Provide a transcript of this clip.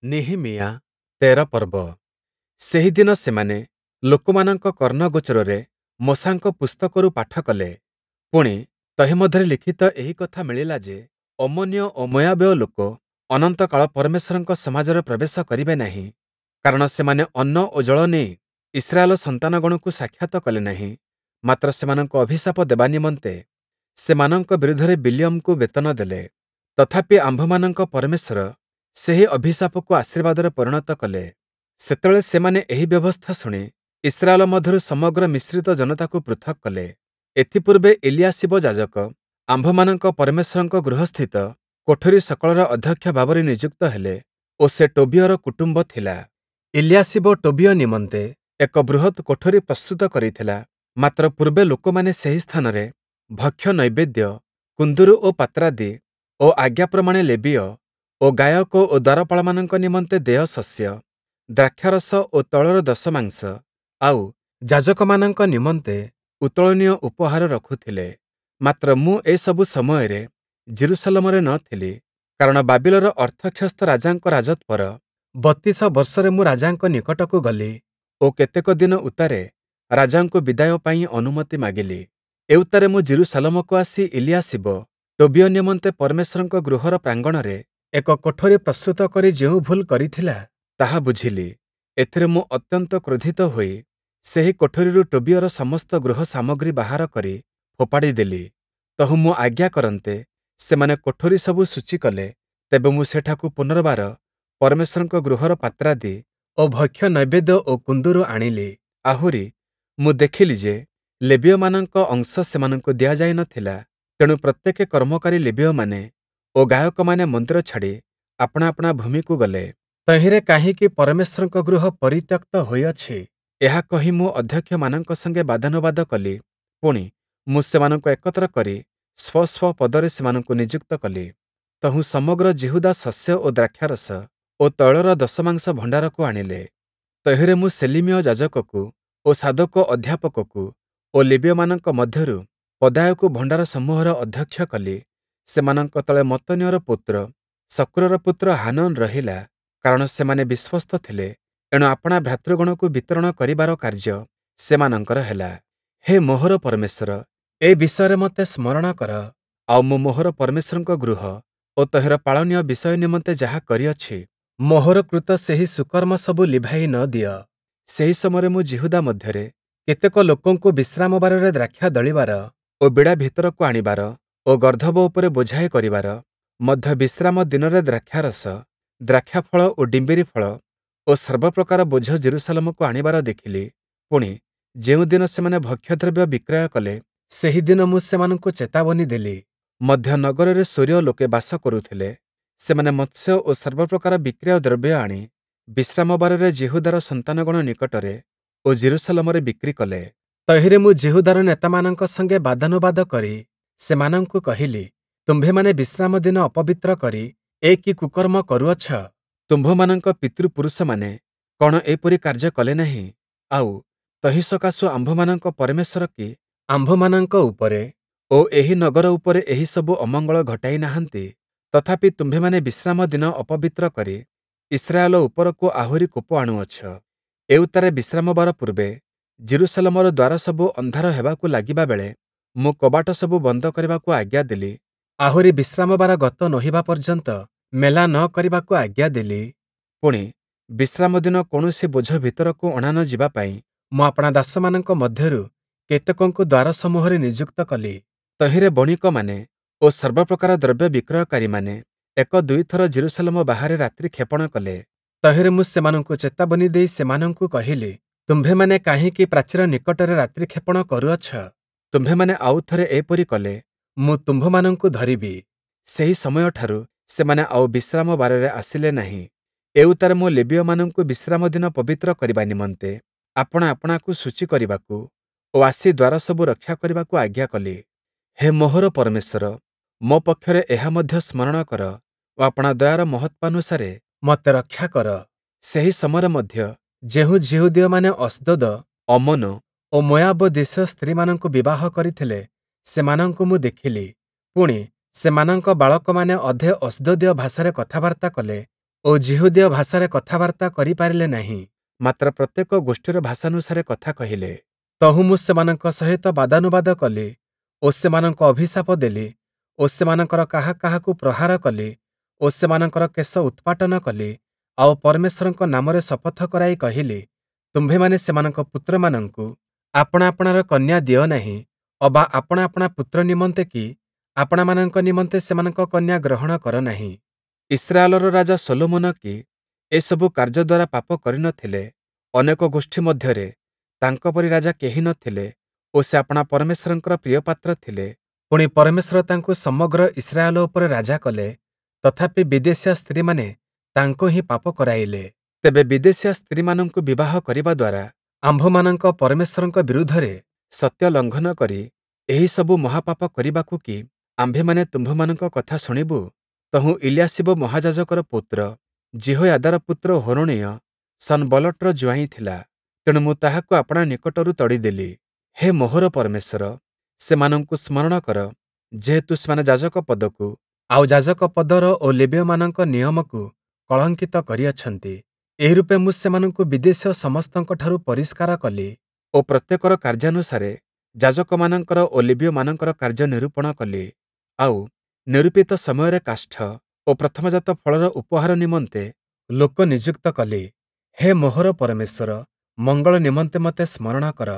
ନିହିମୀୟା ୧୩ ପର୍ବ। ସେହିଦିନ ସେମାନେ ଲୋକମାନଙ୍କ କର୍ଣ୍ଣଗୋଚରରେ ମୋଶାଙ୍କ ପୁସ୍ତକରୁ ପାଠ କଲେ। ପୁଣି, ତହିଁ ମଧ୍ୟରେ ଲିଖିତ ଏହି କଥା ମିଳିଲା ଯେ, ଅମ୍ମୋନୀୟ ଓ ମୋୟାବୀୟ ଲୋକ ଅନନ୍ତକାଳ ପରମେଶ୍ୱରଙ୍କ ସମାଜରେ ପ୍ରବେଶ କରିବେ ନାହିଁ, କାରଣ ସେମାନେ ଅନ୍ନ ଓ ଜଳ ନେଇ ଇସ୍ରାଏଲ ସନ୍ତାନଗଣକୁ ସାକ୍ଷାତ କଲେ ନାହିଁ, ମାତ୍ର ସେମାନଙ୍କୁ ଅଭିଶାପ ଦେବା ନିମନ୍ତେ ସେମାନଙ୍କ ବିରୁଦ୍ଧରେ ବିଲିୟମକୁ ବେତନ ଦେଲେ। ତଥାପି ଆମ୍ଭମାନଙ୍କ ପରମେଶ୍ୱର ସେହି ଅଭିଶାପକୁ ଆଶୀର୍ବାଦରେ ପରିଣତ କଲେ। ସେତେବେଳେ ସେମାନେ ଏହି ବ୍ୟବସ୍ଥା ଶୁଣି ଇସ୍ରାଏଲ ମଧ୍ୟରୁ ସମଗ୍ର ମିଶ୍ରିତ ଜନତାକୁ ପୃଥକ୍ କଲେ। ଏଥିପୂର୍ବେ ଇଲିୟାଶିବ ଯାଜକ ଆମ୍ଭମାନଙ୍କ ପରମେଶ୍ୱରଙ୍କ ଗୃହସ୍ଥିତ କୋଠରୀ ସକଳର ଅଧ୍ୟକ୍ଷ ଭାବରେ ନିଯୁକ୍ତ ହେଲେ ଓ ସେ ଟୋବିୟର କୁଟୁମ୍ବ ଥିଲା। ଇଲିୟାଶିବ ଟୋବିୟ ନିମନ୍ତେ ଏକ ବୃହତ୍ କୋଠରୀ ପ୍ରସ୍ତୁତ କରିଥିଲା, ମାତ୍ର ପୂର୍ବେ ଲୋକମାନେ ସେହି ସ୍ଥାନରେ ଭକ୍ଷ୍ୟ ନୈବେଦ୍ୟ, କୁନ୍ଦୁରୁ ଓ ପାତ୍ରାଦି ଓ ଆଜ୍ଞା ପ୍ରମାଣେ ଲେବୀୟ ଓ ଗାୟକ ଓ ଦ୍ୱାରପାଳମାନଙ୍କ ନିମନ୍ତେ ଦେୟ ଶସ୍ୟ, ଦ୍ରାକ୍ଷାରସ ଓ ତୈଳର ଦଶମାଂଶ, ଆଉ ଯାଜକମାନଙ୍କ ନିମନ୍ତେ ଉତ୍ତୋଳନୀୟ ଉପହାର ରଖୁଥିଲେ। ମାତ୍ର ମୁଁ ଏସବୁ ସମୟରେ ଯିରୂଶାଲମରେ ନ ଥିଲି, କାରଣ ବାବିଲର ଅର୍ଥକ୍ଷସ୍ତ ରାଜାଙ୍କ ରାଜତ୍ୱର ୩୨ ବର୍ଷରେ ମୁଁ ରାଜାଙ୍କ ନିକଟକୁ ଗଲି ଓ କେତେକ ଦିନ ଉତ୍ତାରେ ରାଜାଙ୍କୁ ବିଦାୟ ପାଇଁ ଅନୁମତି ମାଗିଲି। ଏଉତ୍ତାରେ ମୁଁ ଯିରୂଶାଲମକୁ ଆସି ଇଲିୟାଶିବ ଟୋବିୟ ନିମନ୍ତେ ପରମେଶ୍ୱରଙ୍କ ଗୃହର ପ୍ରାଙ୍ଗଣରେ ଏକ କୋଠରୀ ପ୍ରସ୍ତୁତ କରି ଯେଉଁ ଭୁଲ କରିଥିଲା, ତାହା ବୁଝିଲି। ଏଥିରେ ମୁଁ ଅତ୍ୟନ୍ତ କ୍ରୋଧିତ ହୋଇ ସେହି କୋଠରୀରୁ ଟୋବିୟର ସମସ୍ତ ଗୃହ ସାମଗ୍ରୀ ବାହାର କରି ଫୋପାଡ଼ି ଦେଲି। ତହୁଁ ମୁଁ ଆଜ୍ଞା କରନ୍ତେ, ସେମାନେ କୋଠରୀ ସବୁ ଶୁଚି କଲେ। ତେବେ ମୁଁ ସେଠାକୁ ପୁନର୍ବାର ପରମେଶ୍ୱରଙ୍କ ଗୃହର ପାତ୍ରାଦି ଓ ଭକ୍ଷ୍ୟ ନୈବେଦ୍ୟ ଓ କୁନ୍ଦୁରୁ ଆଣିଲି। ଆହୁରି, ମୁଁ ଦେଖିଲି ଯେ ଲେବୀୟମାନଙ୍କ ଅଂଶ ସେମାନଙ୍କୁ ଦିଆଯାଇ ନ ଥିଲା। ତେଣୁ ପ୍ରତ୍ୟେକେ କର୍ମକାରୀ ଲେବୀୟମାନେ ଓ ଗାୟକମାନେ ମନ୍ଦିର ଛାଡ଼ି ଆପଣା ଆପଣା ଭୂମିକୁ ଗଲେ। ତହିଁରେ କାହିଁକି ପରମେଶ୍ୱରଙ୍କ ଗୃହ ପରିତ୍ୟକ୍ତ ହୋଇଅଛି? ଏହା କହି ମୁଁ ଅଧ୍ୟକ୍ଷମାନଙ୍କ ସଙ୍ଗେ ବାଦାନୁବାଦ କଲି। ପୁଣି, ମୁଁ ସେମାନଙ୍କୁ ଏକତ୍ର କରି ସ୍ୱ ସ୍ୱ ପଦରେ ସେମାନଙ୍କୁ ନିଯୁକ୍ତ କଲି। ତହୁଁ ସମଗ୍ର ଯିହୁଦା ଶସ୍ୟ ଓ ଦ୍ରାକ୍ଷାରସ ଓ ତୈଳର ଦଶମାଂଶ ଭଣ୍ଡାରକୁ ଆଣିଲେ। ତହିଁରେ ମୁଁ ସେଲିମୀୟ ଯାଜକକୁ ଓ ସାଦୋକ ଅଧ୍ୟାପକକୁ ଓ ଲେବୀୟମାନଙ୍କ ମଧ୍ୟରୁ ପଦାୟକୁ ଭଣ୍ଡାର ସମୂହର ଅଧ୍ୟକ୍ଷ କଲି। ସେମାନଙ୍କ ତଳେ ମତ୍ତନୀୟର ପୁତ୍ର ଶକ୍କୁରର ପୁତ୍ର ହାନନ୍ ରହିଲା, କାରଣ ସେମାନେ ବିଶ୍ୱସ୍ତ ଥିଲେ, ଏଣୁ ଆପଣା ଭ୍ରାତୃଗଣକୁ ବିତରଣ କରିବାର କାର୍ଯ୍ୟ ସେମାନଙ୍କର ହେଲା। ହେ ମୋହର ପରମେଶ୍ୱର, ଏ ବିଷୟରେ ମୋତେ ସ୍ମରଣ କର, ଆଉ ମୁଁ ମୋହର ପରମେଶ୍ୱରଙ୍କ ଗୃହ ଓ ତହିଁର ପାଳନୀୟ ବିଷୟ ନିମନ୍ତେ ଯାହା କରିଅଛି, ମୋହର କୃତ ସେହି ସୁକର୍ମ ସବୁ ଲିଭାଇ ନ ଦିଅ। ସେହି ସମୟରେ ମୁଁ ଯିହୁଦା ମଧ୍ୟରେ କେତେକ ଲୋକଙ୍କୁ ବିଶ୍ରାମବାରରେ ଦ୍ରାକ୍ଷା ଦଳିବାର ଓ ବିଡ଼ା ଭିତରକୁ ଆଣିବାର ଓ ଗର୍ଦ୍ଦଭ ଉପରେ ବୋଝାଇ କରିବାର, ମଧ୍ୟ ବିଶ୍ରାମ ଦିନରେ ଦ୍ରାକ୍ଷାରସ, ଦ୍ରାକ୍ଷାଫଳ ଓ ଡିମ୍ବିରି ଫଳ ଓ ସର୍ବପ୍ରକାର ବୋଝ ଯିରୂଶାଲମକୁ ଆଣିବାର ଦେଖିଲି। ପୁଣି, ଯେଉଁଦିନ ସେମାନେ ଭକ୍ଷ୍ୟଦ୍ରବ୍ୟ ବିକ୍ରୟ କଲେ, ସେହିଦିନ ମୁଁ ସେମାନଙ୍କୁ ଚେତାବନୀ ଦେଲି। ମଧ୍ୟ ନଗରରେ ସୋରୀୟ ଲୋକେ ବାସ କରୁଥିଲେ। ସେମାନେ ମତ୍ସ୍ୟ ଓ ସର୍ବପ୍ରକାର ବିକ୍ରୟ ଦ୍ରବ୍ୟ ଆଣି ବିଶ୍ରାମବାରରେ ଯିହୁଦାର ସନ୍ତାନଗଣ ନିକଟରେ ଓ ଯିରୂଶାଲମରେ ବିକ୍ରି କଲେ। ତହିଁରେ ମୁଁ ଯିହୁଦାର ନେତାମାନଙ୍କ ସଙ୍ଗେ ବାଦାନୁବାଦ କରି ସେମାନଙ୍କୁ କହିଲି, ତୁମ୍ଭେମାନେ ବିଶ୍ରାମ ଦିନ ଅପବିତ୍ର କରି ଏ କି କୁକର୍ମ କରୁଅଛ? ତୁମ୍ଭମାନଙ୍କ ପିତୃପୁରୁଷମାନେ କଣ ଏପରି କାର୍ଯ୍ୟ କଲେ ନାହିଁ? ଆଉ, ତହିଁ ସକାଶୁ ଆମ୍ଭମାନଙ୍କ ପରମେଶ୍ୱର କି ଆମ୍ଭମାନଙ୍କ ଉପରେ ଓ ଏହି ନଗର ଉପରେ ଏହିସବୁ ଅମଙ୍ଗଳ ଘଟାଇ ନାହାନ୍ତି? ତଥାପି ତୁମ୍ଭେମାନେ ବିଶ୍ରାମ ଦିନ ଅପବିତ୍ର କରି ଇସ୍ରାଏଲ ଉପରକୁ ଆହୁରି କୋପ ଆଣୁଅଛ। ଏଉତ୍ତାରେ ବିଶ୍ରାମବାର ପୂର୍ବେ ଯିରୂଶାଲମର ଦ୍ୱାର ସବୁ ଅନ୍ଧାର ହେବାକୁ ଲାଗିବା ବେଳେ ମୁଁ କବାଟ ସବୁ ବନ୍ଦ କରିବାକୁ ଆଜ୍ଞା ଦେଲି। ଆହୁରି ବିଶ୍ରାମବାର ଗତ ନୋହିବା ପର୍ଯ୍ୟନ୍ତ ମେଲା ନ କରିବାକୁ ଆଜ୍ଞା ଦେଲି। ପୁଣି, ବିଶ୍ରାମ ଦିନ କୌଣସି ବୋଝ ଭିତରକୁ ଅଣା ନ ଯିବା ପାଇଁ ମୁଁ ଆପଣା ଦାସମାନଙ୍କ ମଧ୍ୟରୁ କେତେକଙ୍କୁ ଦ୍ୱାରସମୂହରେ ନିଯୁକ୍ତ କଲି। ତହିଁରେ ବଣିକମାନେ ଓ ସର୍ବପ୍ରକାର ଦ୍ରବ୍ୟ ବିକ୍ରୟକାରୀମାନେ ଏକ ଦୁଇଥର ଯିରୂଶାଲମ ବାହାରେ ରାତ୍ରି କ୍ଷେପଣ କଲେ। ତହିଁରେ ମୁଁ ସେମାନଙ୍କୁ ଚେତାବନୀ ଦେଇ ସେମାନଙ୍କୁ କହିଲି, ତୁମ୍ଭେମାନେ କାହିଁକି ପ୍ରାଚୀର ନିକଟରେ ରାତ୍ରିକ୍ଷେପଣ କରୁଅଛ? ତୁମ୍ଭେମାନେ ଆଉ ଥରେ ଏପରି କଲେ, ମୁଁ ତୁମ୍ଭମାନଙ୍କୁ ଧରିବି। ସେହି ସମୟଠାରୁ ସେମାନେ ଆଉ ବିଶ୍ରାମବାରରେ ଆସିଲେ ନାହିଁ। ଏଉତ୍ତାରେ ମୁଁ ଲେବୀୟମାନଙ୍କୁ ବିଶ୍ରାମ ଦିନ ପବିତ୍ର କରିବା ନିମନ୍ତେ ଆପଣା ଆପଣାକୁ ଶୁଚି କରିବାକୁ ଓ ଆସି ଦ୍ୱାର ସବୁ ରକ୍ଷା କରିବାକୁ ଆଜ୍ଞା କଲି। ହେ ମୋହର ପରମେଶ୍ୱର, ମୋ ପକ୍ଷରେ ଏହା ମଧ୍ୟ ସ୍ମରଣ କର ଓ ଆପଣା ଦୟାର ମହତ୍ତ୍ୱାନୁସାରେ ମୋତେ ରକ୍ଷା କର। ସେହି ସମୟରେ ମଧ୍ୟ ଯେଉଁ ଯିହୁଦୀୟମାନେ ଅସ୍ଦୋଦ, ଅମ୍ମୋନ ଓ ମୋୟାବ ଦେଶୀୟ ସ୍ତ୍ରୀମାନଙ୍କୁ ବିବାହ କରିଥିଲେ, ସେମାନଙ୍କୁ ମୁଁ ଦେଖିଲି। ପୁଣି, ସେମାନଙ୍କ ବାଳକମାନେ ଅଧେ ଅସ୍ଦୋଦୀୟ ଭାଷାରେ କଥାବାର୍ତ୍ତା କଲେ ଓ ଯିହୁଦୀୟ ଭାଷାରେ କଥାବାର୍ତ୍ତା କରି ପାରିଲେ ନାହିଁ, ମାତ୍ର ପ୍ରତ୍ୟେକ ଗୋଷ୍ଠୀର ଭାଷାନୁସାରେ କଥା କହିଲେ। ତହୁଁ ମୁଁ ସେମାନଙ୍କ ସହିତ ବାଦାନୁବାଦ କଲି ଓ ସେମାନଙ୍କୁ ଅଭିଶାପ ଦେଲି ଓ ସେମାନଙ୍କର କାହା କାହାକୁ ପ୍ରହାର କଲି ଓ ସେମାନଙ୍କର କେଶ ଉତ୍ପାଟନ କଲି, ଆଉ ପରମେଶ୍ୱରଙ୍କ ନାମରେ ଶପଥ କରାଇ କହିଲି, ତୁମ୍ଭେମାନେ ସେମାନଙ୍କ ପୁତ୍ରମାନଙ୍କୁ ଆପଣା ଆପଣାର କନ୍ୟା ଦିଅ ନାହିଁ, ଅବା ଆପଣା ଆପଣା ପୁତ୍ର ନିମନ୍ତେ କି ଆପଣାମାନଙ୍କ ନିମନ୍ତେ ସେମାନଙ୍କ କନ୍ୟା ଗ୍ରହଣ କର ନାହିଁ। ଇସ୍ରାଏଲର ରାଜା ଶଲୋମନ କି ଏସବୁ କାର୍ଯ୍ୟ ଦ୍ୱାରା ପାପ କରି ନ ଥିଲେ? ଅନେକ ଗୋଷ୍ଠୀ ମଧ୍ୟରେ ତାଙ୍କ ପରି ରାଜା କେହି ନ ଥିଲେ ଓ ସେ ଆପଣା ପରମେଶ୍ୱରଙ୍କର ପ୍ରିୟପାତ୍ର ଥିଲେ। ପୁଣି, ପରମେଶ୍ୱର ତାଙ୍କୁ ସମଗ୍ର ଇସ୍ରାଏଲ ଉପରେ ରାଜା କଲେ, ତଥାପି ବିଦେଶୀୟା ସ୍ତ୍ରୀମାନେ ତାଙ୍କୁ ହିଁ ପାପ କରାଇଲେ। ତେବେ ବିଦେଶୀୟା ସ୍ତ୍ରୀମାନଙ୍କୁ ବିବାହ କରିବା ଦ୍ୱାରା ଆମ୍ଭମାନଙ୍କ ପରମେଶ୍ୱରଙ୍କ ବିରୁଦ୍ଧରେ ସତ୍ୟ ଲଙ୍ଘନ କରି ଏହିସବୁ ମହାପାପ କରିବାକୁ କି ଆମ୍ଭେମାନେ ତୁମ୍ଭମାନଙ୍କ କଥା ଶୁଣିବୁ? ତହୁଁ ଇଲିୟାଶୀବ ମହାଯାଜକର ପୌତ୍ର ଯିହୋୟାଦାର ପୁତ୍ର ହୋରୋଣୀୟ ସନବଲ୍ଲଟର ଜୁଆଇଁ ଥିଲା, ତେଣୁ ମୁଁ ତାହାକୁ ଆପଣା ନିକଟରୁ ତଡ଼ିଦେଲି। ହେ ମୋହର ପରମେଶ୍ୱର, ସେମାନଙ୍କୁ ସ୍ମରଣ କର, ଯେହେତୁ ସେମାନେ ଯାଜକ ପଦକୁ, ଆଉ ଯାଜକ ପଦର ଓ ଲେବୀୟମାନଙ୍କ ନିୟମକୁ କଳଙ୍କିତ କରିଅଛନ୍ତି। ଏହିରୂପେ ମୁଁ ସେମାନଙ୍କୁ ବିଦେଶୀୟ ସମସ୍ତଙ୍କଠାରୁ ପରିଷ୍କାର କଲି ଓ ପ୍ରତ୍ୟେକର କାର୍ଯ୍ୟାନୁସାରେ ଯାଜକମାନଙ୍କର ଓ ଲେବୀୟମାନଙ୍କର କାର୍ଯ୍ୟ ନିରୂପଣ କଲି। ଆଉ, ନିରୂପିତ ସମୟରେ କାଷ୍ଠ ଓ ପ୍ରଥମଜାତ ଫଳର ଉପହାର ନିମନ୍ତେ ଲୋକ ନିଯୁକ୍ତ କଲି। ହେ ମୋହର ପରମେଶ୍ୱର, ମଙ୍ଗଳ ନିମନ୍ତେ ମୋତେ ସ୍ମରଣ କର।